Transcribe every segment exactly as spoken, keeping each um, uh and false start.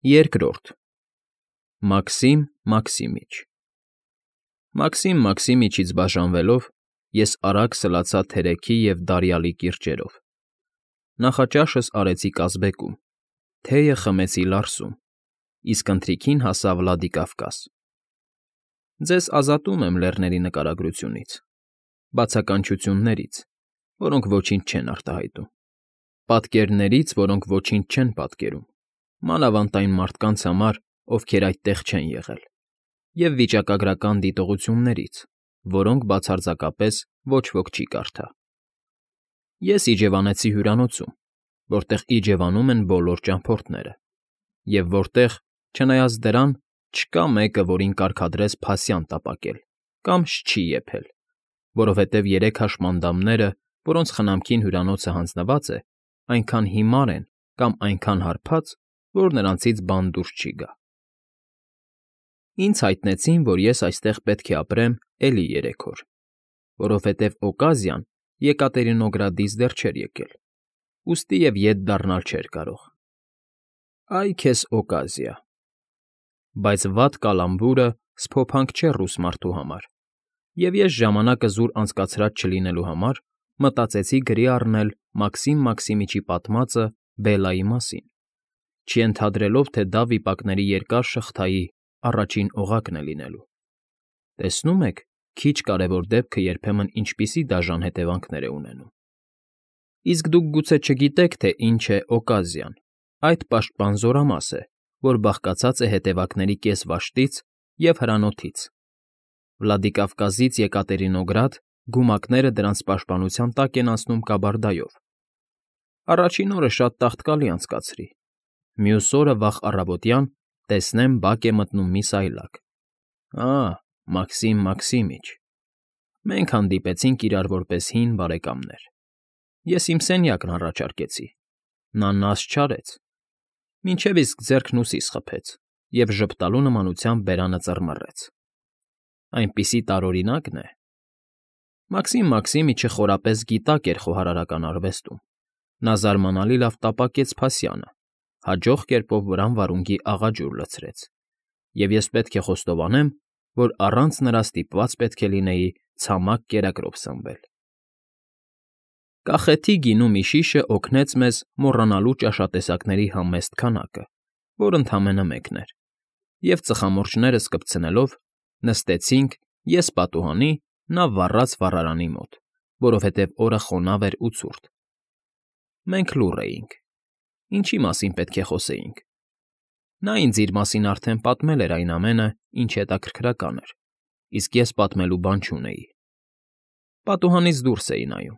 Երկրորդ Մաքսիմ Մաքսիմիչ Մաքսիմ Մաքսիմիչից բաժանվելով՝ ես արագ սլացա թերեքի և դարյալի կիրճերով, նախաճաշս արեցի կազբեկում, թեյը խմեցի Լարսում, իսկ ընթրիքին հասա Վլադիկավկազ։ Ձեզ ազատում եմ լեռների նկարագրությունից, բացականչություններից, որոնք ոչինչ չեն արտահայտում, պատկերներից, որոնք ոչինչ չեն պատկերում, մանավանդ այն մարդկանց համար, ովքեր այդտեղ չեն եղել, և վիճակագրական դիտողություններից, որոնք բացարձակապես ոչ ոք չի կարդա։ Ես իջևանեցի հյուրանոցում, որտեղ իջևանում են բոլոր ճամփորդները, և որտեղ, չնայած դրան, չկա մեկը, որին կարգադրես փասյան տապակել կամ շչի եփել, որովհետև երեք հաշմանդամները, որոնց խնամքին հյուրանոցը հանձնված է, այնքան հիմար են կամ այնքան հարբած, որ նրանցից բան դուրս չի գա։ Ինձ հայտնեցին, որ ես այստեղ պետք է ապրեմ էլի երեք օր, որովհետև Օկազիան Եկատերինոգրադից դեռ չէր եկել, ուստի և ետ դառնալ չէր կարող։ Այ քեզ Օկազիա… Բայց վատ կալամբուրը սփոփանք չէ ռուս մարդու համար, և ես ժամանակը զուր անցկացրած չլինելու համար մտածեցի գրի առնել Մաքսիմ Մաքսիմիչի պատմածը Բելայի մասին, չենթադրելով, թե դա վիպակների երկար շղթայի առաջին օղակն է լինելու։ Տեսնո՞ւմ եք, քիչ կարևոր դեպքը երբեմն ինչպիսի դաժան հետևանքներ է ունենում։ Իսկ դուք գուցե չգիտեք, թե ինչ է Օկազիան, այդ պաշտպան զորամաս է, որ բաղկացած է հետևակների կես վաշտից և հրանոթից։ Վլադիկավկազից Եկատերինոգրադ գումակները դրանց պաշտպանության տակ են անցնում կաբարդայով։ Առաջին օրը շատ տաղտկալի անցկացրի, մյուս օրը վաղ առավոտյան տեսնեմ բակ է մտնում մի սայլակ։ Ա՜, Մաքսիմ Մաքսիմիչ… Մենք հանդիպեցինք իրար որպես հին բարեկամներ։ Ես իմ սենյակն առաջարկեցի, նա նաս չարեց, մինչև իսկ ձեռքն ուսիս խփեց և ժպտալու նմանությամբ բերանը ծռմռեց։ Այնպիսի տարօրինակն է… Մաքսիմ Մաքսիմիչը խորապես գիտակ էր խոհարարական արվեստում, նա զարմանալի լավ տապակեց փասյանը, հաջող կերպով վրան վարունգի աղաջուր լցրեց, և ես պետք է խոստովանեմ, որ առանց նրա ստիպված պետք է լինեի ցամաք կերակրով սնվել։ Կախեթի գինու մի շիշը օգնեց մեզ մոռանալու ճաշատեսակների համեստ քանակը, որ ընդամենը մեկն էր, և ծխամորճներս կպցնելով նստեցինք ես պատուհանի, նա վառած վառարանի մոտ, որովհետև օրը խոնավ էր ու ցուրտ։ Մենք լուռ էինք. ինչի մասին պետք է խոսեինք։ Նա ինձ իր մասին արդեն պատմել էր այն ամենը, ինչ հետաքրքրական էր, իսկ ես պատմելու բան չունեի։ Պատուհանից դուրս էի նայում։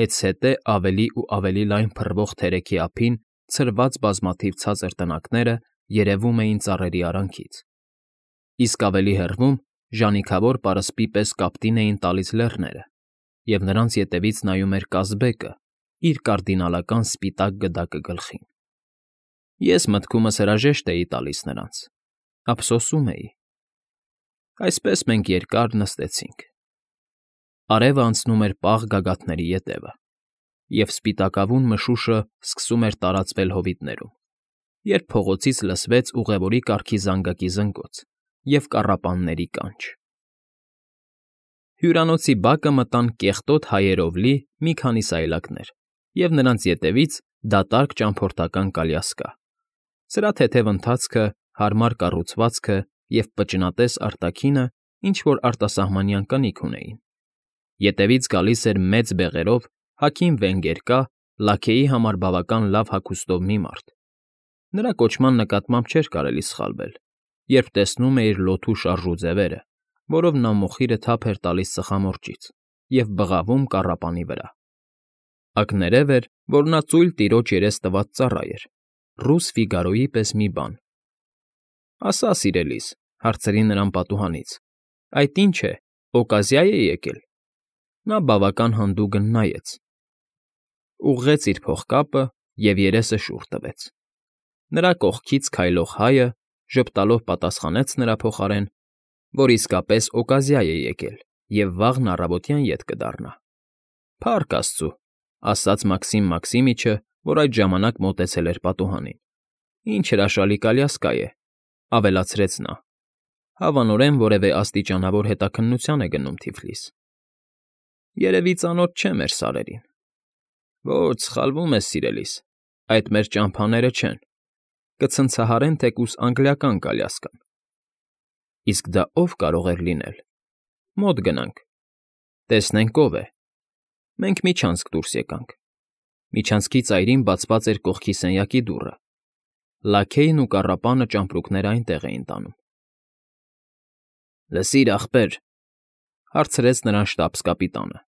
Հետզհետե ավելի ու ավելի լայն փռվող թերեքի ափին ցրված բազմաթիվ ցածր տնակները երևում էին ծառերի արանքից, իսկ ավելի հեռվում ժանիքավոր պարսպի պես կապտին էին տալիս լեռները, և նրանց ետևից նայում էր կազբեկը իր կարդինալական սպիտակ գդակը գլխին։ Ես մտքումս հրաժեշտ էի տալիս նրանց, ափսոսում էի։ Այսպես մենք երկար նստեցինք։ Արևը անցնում էր պաղ գագաթների ետևը, և սպիտակավուն մշուշը սկսում էր տարածվել հովիտներում, երբ փողոցից լսվեց ուղևորի կարգի զանգակի զնգոց և կառապանների կանչ։ Հյուրանոցի բակը մտան կեղտոտ հայերով լի մի քանի սայլակներ և նրանց ետևից դատարկ ճամփորդական կալյասկա, սրա թեթև ընթացքը, հարմար կառուցվածքը և պճնատես արտաքինը ինչ֊որ արտասահմանյան կնիք ունեին։ Ետևից գալիս էր մեծ բեղերով հագին վենգերկա, լաքեի համար բավական լավ հագուստով մի մարդ։ Նրա կոչման նկատմամբ չէր կարելի սխալվել, երբ տեսնում էիր լոթու շարժու ձևերը, որով նա մոխիրը թափ էր տալիս ծխամորճից և բղավում կառապանի վրա։ Ակներև էր, որ նա ծույլ տիրոջ երես տված ծառա էր, ռուս Ֆիգարոյի պես մի բան։ ֊ Ասա, սիրելիս,֊ հարցրի նրան պատուհանից,֊ այդ ի՞նչ է, օկազիա՞ է եկել։ Նա բավական հանդուգն նայեց, ուղղեց իր փողկապը և երեսը շուռ տվեց։ Նրա կողքից քայլող հայը ժպտալով պատասխանեց նրա փոխարեն, որ իսկապես օկազիա է եկել և վաղն առավոտյան ետ կդառնա։ ֊ Փառք աստծո,֊ ասաց Մաքսիմ Մաքսիմիչը, որ այդ ժամանակ մոտեցել էր պատուհանին։ Ինչ հրաշալի կալյասկա է,֊ ավելացրեց նա, հավանորեն որևէ աստիճանավոր հետաքննության է գնում Թիֆլիս։ Երևի ծանոթ չէ մեր սարերին։ Ոչ, սխալվում ես, սիրելիս, այդ մեր ճամփաները չեն, կցնցահարեն թեկուզ անգլիական կալյասկան։ Իսկ դա ով կարող էր լինել։ Մոտ գնանք, տեսնենք ով է։ Մենք միջանցք դուրս եկանք։ Միջանցքի ծայրին բացված էր կողքի սենյակի դուռը։ Լաքեյն ու կառապանը ճամպրուկները այնտեղ էին տանում։ Լսիր, ախպեր,֊ հարցրեց նրան շտաբս֊կապիտանը,֊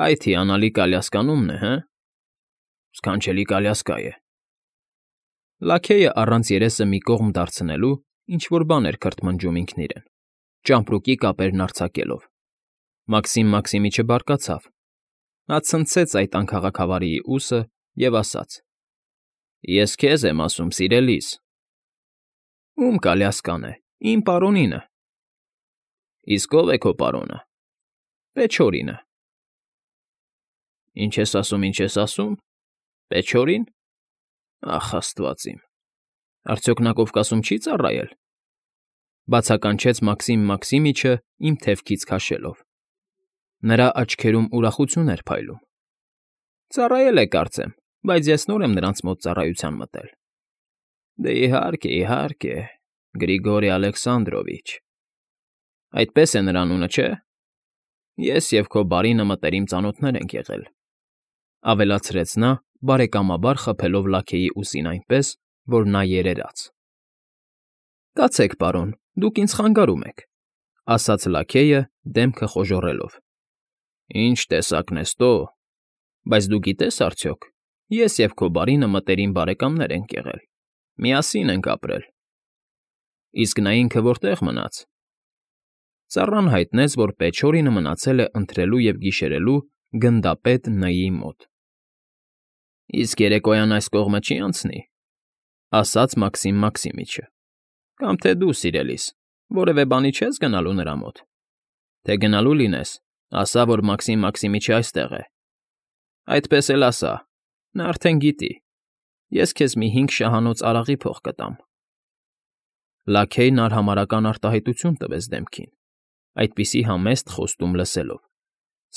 այդ հիանալի կալյասկան ումն է, հը։ Սքանչելի կալյասկա է։ Լաքեյը առանց երեսը մի կողմ դարձնելու ինչ֊որ բան էր քրթմնջում ինքն իրեն, ճամպրուկի կապերն արձակելով։ Մաքսիմ Մաքսիմիչը բարկացավ։ Նա ցնցեց այդ անքաղաքավարիի ուսը և ասաց. Ես քեզ եմ ասում, սիրելիս։ Ում կալյասկան է, իմ պարոնինը։ Իսկ ով է քո պարոնը։ Պեչորինը։ Ինչ ես ասում, ինչ ես ասում, Պեչորին։ Ախ, աստված իմ, արդյոք նա Կովկասում չի ծառայել,֊ բացականչեց Մաքսիմ Մաքսիմիչը իմ թևքից քաշելով։ Նրա աչքերում ուրախություն էր փայլում։ Ծառայել է, կարծեմ, բայց ես նոր եմ նրանց մոտ ծառայության մտել։ Դե իհարկե, իհարկե, Գրիգորի Ալեքսանդրովիչ։ Այդպես է նրա անունը, չէ՞։ Ես և քո բարինը մտերիմ ծանոթներ ենք եղել,֊ ավելացրեց նա, բարեկամաբար խփելով Լաքեյի ուսին այնպես, որ նա երերաց։ Կացեք, պարոն, դուք ինձ խանգարում եք,֊ ասաց Լաքեյը, դեմքը խոժոռելով։ Ինչ տեսակն ես տո, բայց դու գիտես արդյոք, ես և քո բարինը մտերիմ բարեկամներ ենք եղել, միասին ենք ապրել։ Իսկ նա ինքը որտե՞ղ մնաց։ Ծառան հայտնեց, որ Պեչորինը մնացել է ընթրելու և գիշերելու գնդապետ Ն֊ի մոտ։ Իսկ երեկոյան այս կողմը չի անցնի,֊ ասաց Մաքսիմ Մաքսիմիչը,֊ կամ թե դու, սիրելիս, որևէ բանի չես գնալու նրա մոտ։ Թե գնալու լինես, ասա, որ Մաքսիմ Մաքսիմիչը այստեղ է։ Այդպես էլ ասա, նա արդեն գիտի, ես քեզ մի հինգ շահանոց արաղի փող կտամ։ Լաքեյն արհամարհական արտահայտություն տվեց դեմքին, այդպիսի համեստ խոստում լսելով,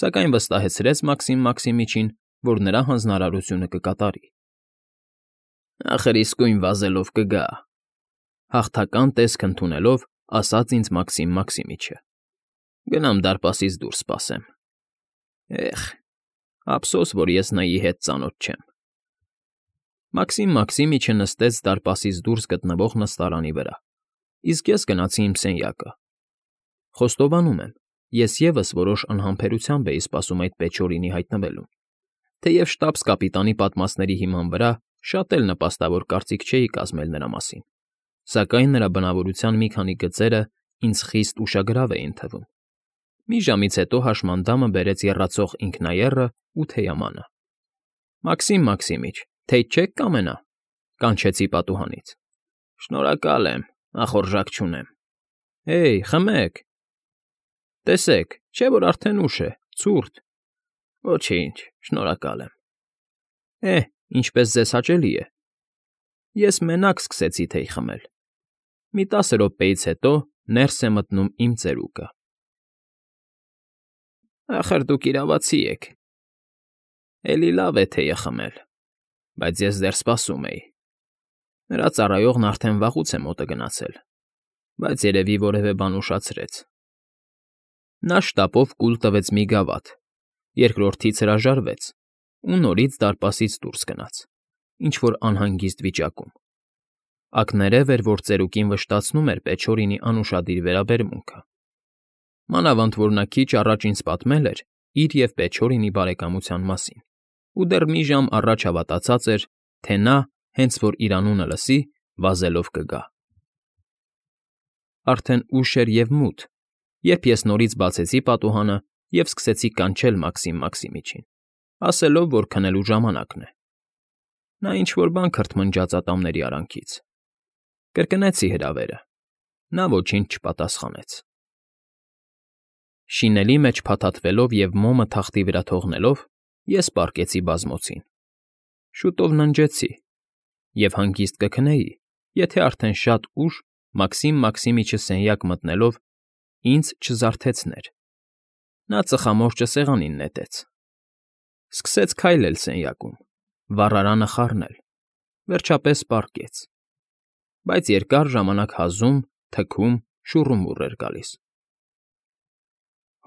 սակայն վստահեցրեց Մաքսիմ Մաքսիմիչին, որ նրա հանձնարարությունը կկատարի։ Ախր իսկույն վազելով կգա,֊ հաղթական տեսք ընդունելով ասաց ինձ Մաքսիմ Մաքսիմիչը։ Գնամ դարպասից դուրս սպասեմ։ Էխ, ափսոս, որ ես Ն֊ի հետ ծանոթ չեմ։ Մաքսիմ Մաքսիմիչը նստեց դարպասից դուրս գտնվող նստարանի վրա, իսկ ես գնացի իմ սենյակը։ Խոստովանում եմ, ես ևս որոշ անհամբերությամբ էի սպասում այդ Պեչորինի հայտնվելուն, թեև շտաբս֊կապիտանի պատմածների հիման վրա շատ էլ նպաստավոր կարծիք չէի կազմել նրա մասին, սակայն նրա բնավորության մի քանի գծերը ինձ խիստ ուշագրավ էին թվում։ Մի ժամից հետո հաշմանդամը բերեց եռացող ինքնաեռը ու թեյամանը։ Մաքսիմ Մաքսիմիչ, թեյ չեք կամենա,֊ կանչեցի պատուհանից։ Շնորհակալ եմ, ախորժակ չունեմ։ Հեյ, խմեք։ Տեսեք, չէ՞ որ արդեն ուշ է, ցուրտ։ Ոչինչ, շնորհակալ եմ։ Է, ինչպես ձեզ հաճելի է։ Ես մենակ սկսեցի թեյ խմել։ Մի տասը րոպեից հետո ներս է մտնում իմ ծերուկը։ Ախր դուք իրավացի եք։ Էլի լավ է թեյը խմել, բայց ես դեռ սպասում էի։ Նրա ծառայողն արդեն վաղուց է մոտը գնացել, բայց երևի որևէ բան ուշացրեց։ Նա շտապով կուլ տվեց մի գավաթ, երկրորդից հրաժարվեց ու նորից դարպասից դուրս գնաց, ինչ֊որ անհանգիստ վիճակում։ Ակներև էր, որ ծերուկին վշտացնում էր Պեչորինի անուշադիր վերաբերմունքը։ Մանավանդ որ նա քիչ առաջ ինձ պատմել էր իր և Պեչորինի բարեկամության մասին ու դեռ մի ժամ առաջ հավատացած էր, թե նա, հենց որ իր անունը լսի, վազելով կգա։ Արդեն ուշ էր և մութ, երբ ես նորից բացեցի պատուհանը և սկսեցի կանչել Մաքսիմ Մաքսիմիչին, ասելով, որ քնելու ժամանակն է։ Նա ինչ֊որ բան քրթմնջաց ատամների արանքից։ Կրկնեցի հրավերը։ Նա ոչինչ չպատասխանեց։ Շինելի մեջ փաթաթվելով և մոմը թախտի վրա թողնելով, ես պառկեցի բազմոցին։ Շուտով ննջեցի, Եվ հանգիստ կքնեի, եթե արդեն շատ ուշ Մաքսիմ Մաքսիմիչը սենյակ մտնելով ինձ չզարթեցներ։ Նա ծխամորճը սեղանին նետեց, սկսեց քայլել սենյակում, վառարանը խառնել, վերջապես պառկեց, բայց երկար ժամանակ հազում, թքում, շուռումուռ էր գալիս։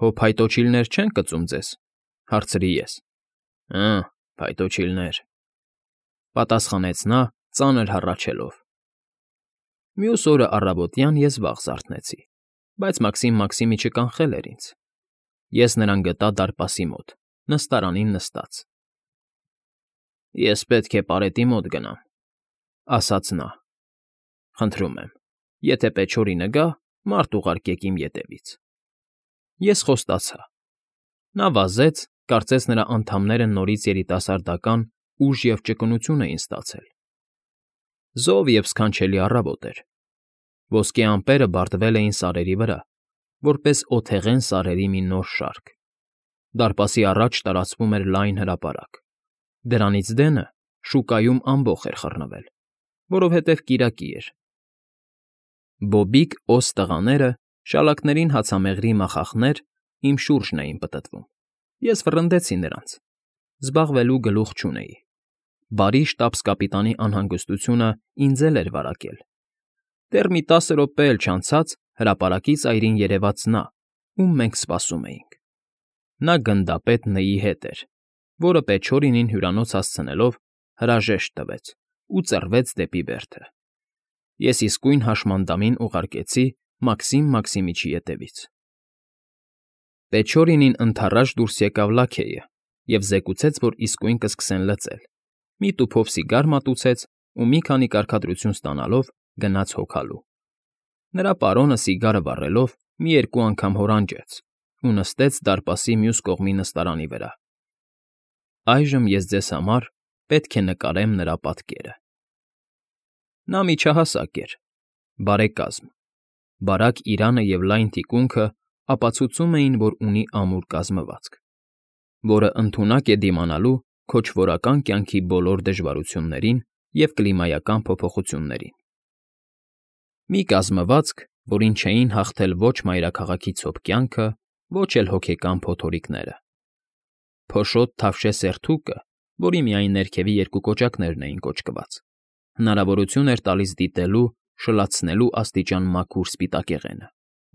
Հո փայտոջիլներ չեն կծում ձեզ, հարցրի ես։ Հը, փայտոջիլներ, պատասխանեց նա, ծանր հառաչելով։ Մյուս օրը առավոտյան ես վաղ զարթնեցի, բայց Մաքսիմ Մաքսիմիչը կանխել էր ինձ։ Ես նրան գտա դարպասի մոտ, նստարանին նստած։ Ես պետք է պարետի մոտ գնամ, ասաց նա։ Խնդրում եմ, եթե Պեչորինը գա, մարդ ուղարկեք իմ ետևից։ Ես խոստացա։ Նա վազեց, կարծես նրա անդամները նորից երիտասարդական ուժ և ճկունություն էին ստացել։ Զով և սքանչելի առավոտ էր։ Ոսկե ամպերը բարդվել էին սարերի վրա, որպես օթեղեն սարերի մի նոր շարք։ Դարպասի առաջ տարածվում էր լայն հրապարակ։ Դրանից դենը շուկայում ամբոխ էր խռնվել, որովհետև կիրակի էր։ Բոբիկ օս տղաները, շալակներին հացամեղրի մախախներ, իմ շուրջն էին պտտվում։ Ես վռնդեցի նրանց։ Զբաղվելու գլուխ չունեի։ Բարի շտաբս֊կապիտանի անհանգստությունը ինձ էլ էր վարակել։ Դեռ մի տասը րոպե էլ չանցած հրապարակից այրին երևաց նա, ում մենք սպասում էինք։ Նա գնդապետ Ն֊ի հետ էր, որը Պեչորինին հյուրանոց հասցնելով հրաժեշտ տվեց ու ծռվեց դեպի բերդը։ Ես իսկույն հաշմանդամին ուղարկեցի Մաքսիմ Մաքսիմիչի ետևից։ Պեչորինին ընդառաջ դուրս եկավ լաքեյը և զեկուցեց, որ իսկույն կսկսեն լծել, մի տուփով սիգար մատուցեց ու մի քանի կարգադրություն ստանալով գնաց հոգալու։ Նրա պարոնը սիգարը վառելով մի երկու անգամ հորանջեց ու նստեց դարպասի մյուս կողմի նստարանի վրա։ Այժմ ես ձեզ համար պետք է նկարեմ նրա պատկերը։ Նա միջահասակ էր, բարեկազմ, բարակ իրանը և լայն թիկունքը ապացուցում էին, որ ունի ամուր կազմվածք, որը ընդունակ է դիմանալու քոչվորական կյանքի բոլոր դժվարություններին և կլիմայական փոփոխություններին։ Մի կազմվածք, որին չէին հաղթել ոչ մայրաքաղաքի ցոփ կյանքը, ոչ էլ հոգեկան փոթորիկները։ Փոշոտ թավշե սերթուկը, որի միայն ներքևի երկու կոճակներն էին կոճկված, հնարավորություն էր տալիս դիտելու, շլացնելու աստիճան մաքուր սպիտակեղենը,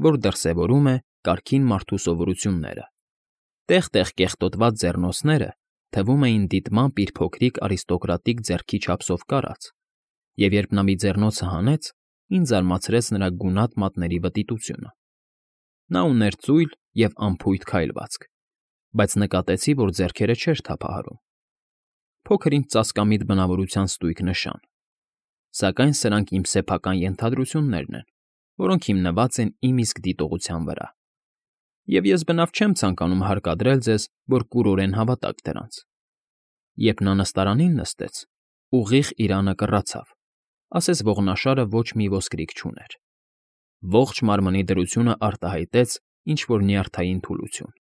որ դրսևորում է կարգին մարդու սովորությունները։ Տեղ֊տեղ կեղտոտված ձեռնոցները թվում էին դիտմամբ իր փոքրիկ արիստոկրատիկ ձեռքի չափսով կարած, և երբ նա մի ձեռնոցը հանեց, ինձ զարմացրեց նրա գունատ մատների վտիտությունը։ Նա ուներ ծույլ և անփույթ քայլվածք, բայց նկատեցի, որ ձեռքերը չէր թափահարում։ Փոքր-ինչ ծածկամիտ բնավորության ստույգ նշան, սակայն սրանք իմ սեփական ենթադրություններն են, որոնք հիմնված են իմ իսկ դիտողության վրա։ Եվ ես բնավ չեմ ցանկանում հարկադրել ձեզ, որ կուրորեն հավատաք դրանց։ Երբ նա նստարանին նստեց, ուղիղ իրանը կռացավ, ասես ողնաշարը ոչ մի ոսկրիկ չուներ։ Ողջ մարմնի դրությունը արտահայտեց ինչ֊որ նյարդային թուլություն։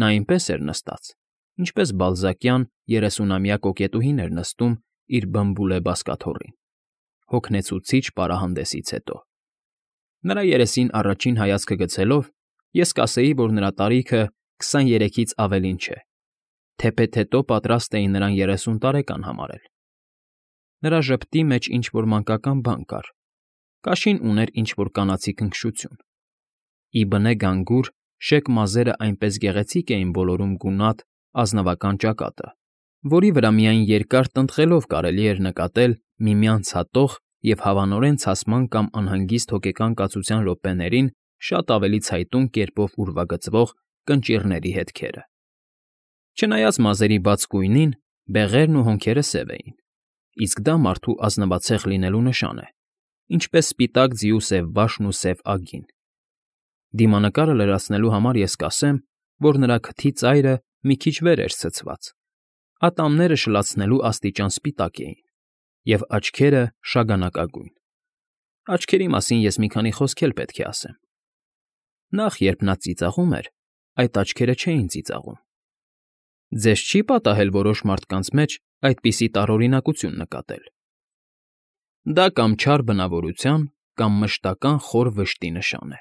Նա այնպես էր նստած, ինչպես բալզակյան երեսունամյա կոկետուհին էր նստում իր բմբուլե բազկաթոռին, հոգնեցուցիչ պարահանդեսից հետո։ Նրա երեսին առաջին հայացքը գցելով, ես կասեի, որ նրա տարիքը քսաներեքից ավելին չէ, թեպետ հետո պատրաստ էի նրան երեսուն տարեկան համարել։ Նրա ժպտի մեջ ինչ֊որ մանկական բան կար, կաշին ուներ ինչ֊որ կանացի քնքշություն։ Ի բնե գանգուր շեկ մազերը այնպես գեղեցիկ էին ոլորում գունատ, ազնվական ճակատը, որի վրա միայն երկար տնտղելով կարելի էր նկատել միմյանց հատող և հավանորեն ցասման կամ անհանգիստ հոգեկան կացության րոպեներին շատ ավելի ցայտուն կերպով ուրվագծվող կնճիռների հետքերը։ Չնայած մազերի բաց գույնին, բեղերն ու հոնքերը սև էին, իսկ դա մարդու ազնվացեղ լինելու նշան է, ինչպես սպիտակ ձիու սև բաշն ու սև ագին։ Դիմանկարը լրացնելու համար ես կասեմ, որ նրա քթի ծայրը մի քիչ վեր էր ցցված, ատամները շլացնելու աստիճան սպիտակ էին, և աչքերը շագանակագույն։ Աչքերի մասին ես մի քանի խոսք էլ պետք է ասեմ։ Նախ, երբ նա ծիծաղում էր, այդ աչքերը չէին ծիծաղում։ Ձեզ չի՞ պատահել որոշ մարդկանց մեջ այդպիսի տարօրինակություն նկատել։ Դա կամ չար բնավորության, կամ մշտական խոր վշտի նշան է։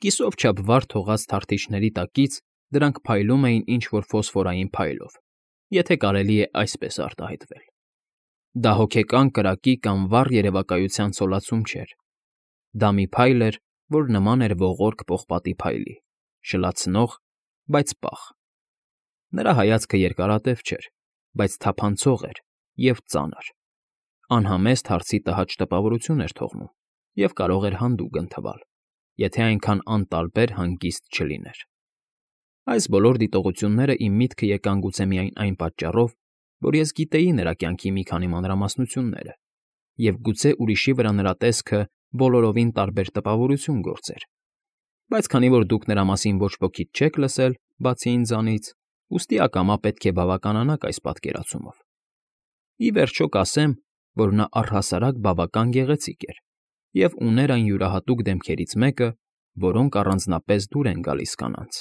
Կիսով չափ վառ թողած թարթիչների տակից դրանք փայլում էին ինչ֊որ ֆոսֆորային փայլով, եթե կարելի է այսպես արտահայտվել։ Դա հոգեկան կրակի կամ վառ երևակայության ցոլացում չէր. դա մի փայլ էր, որ նման էր ողորկ պողպատի փայլի, շլացնող, բայց պաղ։ Նրա հայացքը երկարատև չէր, բայց թափանցող էր և ծանր, անհամեստ հարցի տհաճ տպավորություն էր թողնում և կարող էր հանդուգն թվալ, եթե այնքան անտարբեր հանգիստ չլիներ։ Այս բոլոր դիտողությունները իմ միտքը եկան գուցե միայն այն պատճառով, որ ես գիտեի նրա կյանքի մի քանի մանրամասնությունները, և գուցե ուրիշի վրա նրա տեսքը բոլորովին տարբեր տպավորություն գործեր, բայց քանի որ դուք նրա մասին ոչ ոքից չեք լսել, բացի ինձանից, ուստի ակամա պետք է բավականանաք այս պատկերացումով։ Ի վերջո կասեմ, որ նա առհասարակ բավական գեղեցիկ էր և ուներ այն յուրահատուկ դեմքերից մեկը, որոնք առանձնապես դուր են գալիս կանանց։